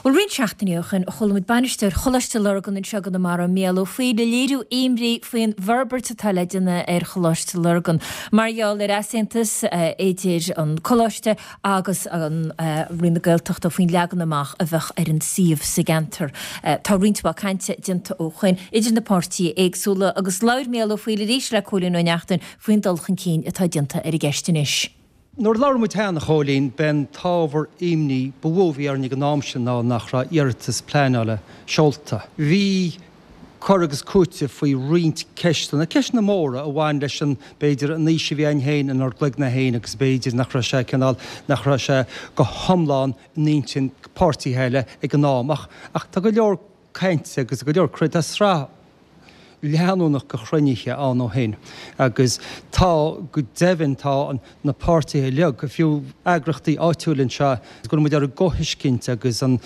Bhuel, roinnt seachtainí ó shin, chuala muid bainisteoir Choláiste Lurgan anseo i gConamara, Mícheál Ó Foighil, ag léiriú imní faoin bhforbairt atá le déanamh ar Choláiste Lurgan mar gheall ar easaontas idir an coláiste agus an Roinn na Gaeltachta faoin leagan amach a bheadh ar an suíomh sa gceantar. Tá roinnt mhaith cainte déanta ó shoin idir na páirtithe éagsúla agus labhair Mícheál Ó Foighil arís le Cóilín Ó Neachtain faoin dul chun cinn atá déanta ar an gceist anois. Nuair a labhair muid cheana, a Chóilín, b'é an t-ábhar imní ba mhó a bhí orainn ag an am sin ná nach raibh iarratas pleanála seolta. Bhí cur agus cúiteamh faoi roinnt ceisteanna, ceisteanna móra a bhain leis an, b'fhéidir, an fhís a bhí againn féin inár gcloigne féin agus b'fhéidir nach raibh sé cineál, nach raibh sé go hiomlán in intinn páirtithe eile ag an am. Ach, ach tá go leor cainte agus go leor, tá sraith leanúnach de chruinnithe ann ó shin agus tá, go deimhin, tá na páirtithe uilig, fiú eagraíochtaí áitiúla anseo, go bhfuil muid ar an gcomhthuiscint agus an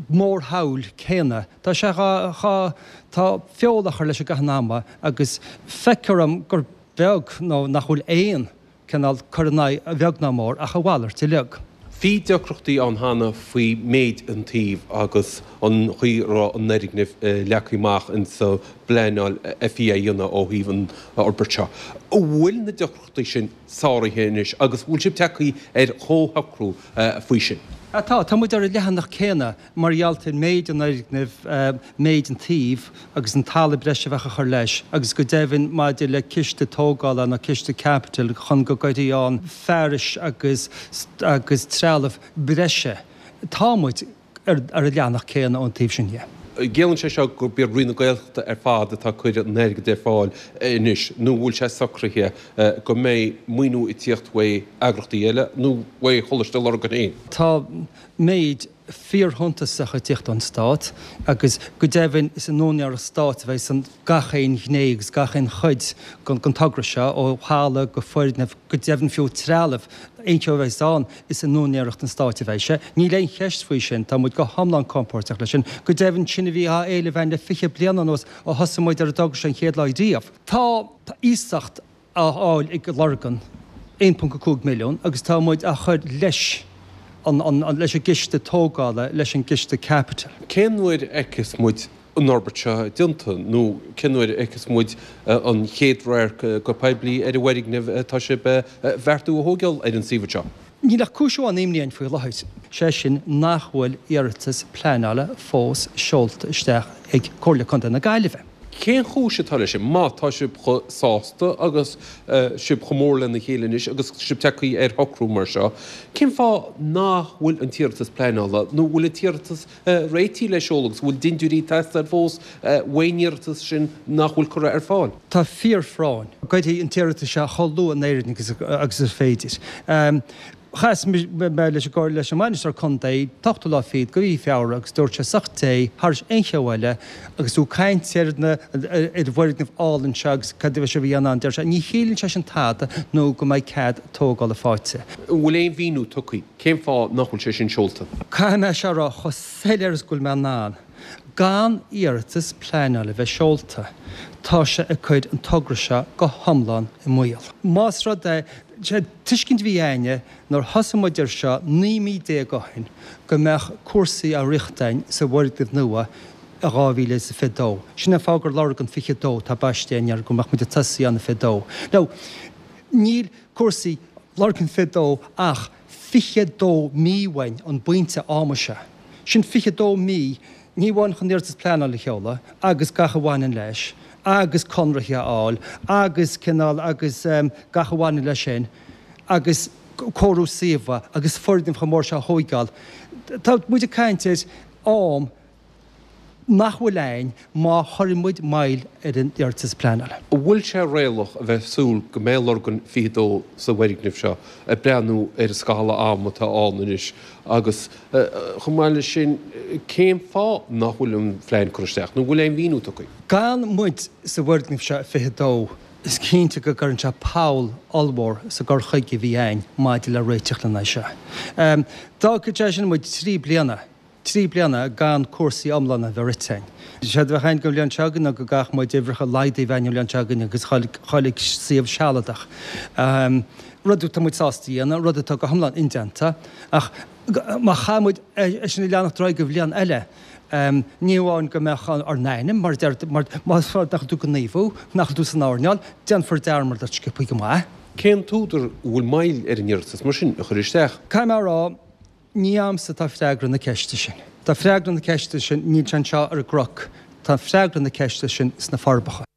mhórshamhail céanna. Tá sé dhá, tá feoil á chur leis i gcaitheamh an ama agus feictear dom gur beag nó nach bhfuil aon cineál cur in aghaidh, a bheag ná mór, ach a mhalairt uilig. Bhí deacrachtaí ann cheana faoi méid an tsuímh agus an chaoi a raibh an fhoirgneamh leagtha amach insa bpleanáil a bhí á dhéanamh ó thaobh an fhorbairt seo. An bhfuil na deacrachtaí sin sáraithe anois agus bhfuil sibh tagtha ar chomhshocrú faoi sin? Tá, tá muid ar an leathanach céanna. Mar gheall ar méid an fhoirgnimh, méid an tsuímh agus an talamh breise a bheadh á chur leis agus go deimhin maidir le ciste tógála nó ciste caipitil chun go gcuirfí ann fearais agus agus trealamh breise, tá muid ar an leathanach céanna ón taobh sin dhe. Ciallaíonn sé seo gurb iad Roinn na Gaeltachta ar fad atá ag cur an airgid ar fáil anois nó an bhfuil sé socraithe go mbeidh maoiniú ag tíocht uaidh eagrachtaí eile nó uaidh Choláiste Lurgan féin? Tá méid fíorshuntasach ag tíocht ón Stát agus go deimhin is in úinéireacht Stáit a bheidh an gach aon ghné agus gach aon chuid den togra seo, ó thalamh go foirgneamh, go deimhin fiú trealamh, aon cheo a bheas ann, is in úinéireacht an Stáit a bheidh sé. Níl aon cheist faoi sin, tá muid go hiomlán compóirteach leis sin. Go deimhin, sin a bhí á éileamh againn le 20 bliain anuas ó thosaigh muid ar an dtogra seo an chéad lá riamh. Tá iasacht á fháil ag Lurgan, 1.5 milliún, agus tá muid á chur leis an leis an gciste tógála, leis an gciste caipitil. Cén uair a fheicfeas muid an fhorbairt seo déanta nó cén uair a fheicfeas muid an chéad radharc go poiblí ar an bhfoirgneamh atá sibh a bheartú a thógáil ar an suíomh seo? Níl ach cúis amháin imní orainn faoi láthair, sé sin nach bhfuil iarratas pleanála fós seolta isteach ag Comhairle Contae na Gaillimhe. Cén chúis atá leis sin? Má tá sibh chomh sásta agus sibh chomh mór lena chéile anois agus sibh tagtha ar shocrú mar seo, cén fáth nach bhfuil an t-iarratas pleanála nó bhfuil an t-iarratas réitithe le seoladh agus bhfuil dintiúirí ag teastáil fós uaidh an iarratas sin nach bhfuil curtha ar fáil? Tá fíorphráinn go gcuirfí an t-iarratas seo chomh luath in Éirinn agus is féidir. Chas mé leis an leis an mbainisteoir contae an t-ochtú lá fichead de mhí Feabhra agus dúirt sé sách dé thairis aon cheo eile agus tú ag caint ar na ar an bhfoirgneamh álainn seo agus cad a bheidh sibh a dhéanamh ann deir sé ní chiallaíonn sé sin tada nó go mbeidh cead tógála faighte. An bhfuil aon mhíniú tugtha cén fáth nach bhfuil sé sin seolta? Caithfidh mé seo a rá chomh soiléir is go bhfuil mé in ann. Gan iarratas pleanála a bheith seolta, tá sé ag cur an togra seo go hiomlán i mbaol. Más rud é, sé an tuiscint a bhí a'inne nuair thosaigh muid air seo 19 mí ó shin go mbeadh cúrsaí á rith a'inn sa bhfoirgneamh nua i 2022. Sin an fáth gur Lurgan 22 atá baiste a'inn air, go mbeadh muid ag tosaí ann i 22. Now, níl cúrsaí Lurgan 22 ach 22 mí uainn an bpointe ama seo. Sin 22 mí, ní amháin chun iarratas pleanála a sheoladh agus gach a bhaineann leis, agus conraithe a fháil, agus cineál, agus gach a bhaineann leis sin, agus cóiriú suíomha, agus foirgneamh chomh mór seo a thóigeáil. Tá muid ag caint ar am nach bhfuil a'inn má chuireann muid moill ar an iarratas pleanála. An bhfuil sé réalaíoch a bheith ag súil go mbeidh Lurgan 22 sa bhfoirgneamh seo, ag breathnú ar an scála ama atá ann anois agus chomh maith leis sin cén fáth nach bhfuil an phlean curtha isteach nó an bhfuil aon mhíniú tugtha? Gan muid sa bhfoirgneamh seo i 22, is cinnte go gcuireann sé poll ollmhór sa gcur chuige a bhí a'inn maidir le réiteach lena aghaidh seo. D'fhágfadh sé sin muid 3 bliana 3 bliana gan cúrsaí iomlána a bheith rite a'inn. Séard a bheadh a'inn don bhliain seo chugainn ná go gcaithfeadh muid uimhreacha laghdaithe a bheith a'inn an bhliain seo chugainn agus dhul ag suíomh sealadach. Rud atá muid sásta a dhéanamh, rud atá go hiomlán indéanta, ach Má chaith muid é sin a leanacht ar aghaidh go bhliain eile, ní amháin go mbeadh ár n-ainm, mar a deir, mar más rud nach bhfuil tú ag gníomhú, nach bhfuil tú san earnáil, déanfar dearmad ort sciobthaí go maith. Cén t-údar a bhfuil moill ar an iarratas mar sin a chur isteach? Caithfidh mé a rá, ní a'msa atá freagra na ceiste sin. Tá freagra na ceiste sin, níl sé anseo ar an gCnoc, tá freagra na ceiste sin sna Forbacha.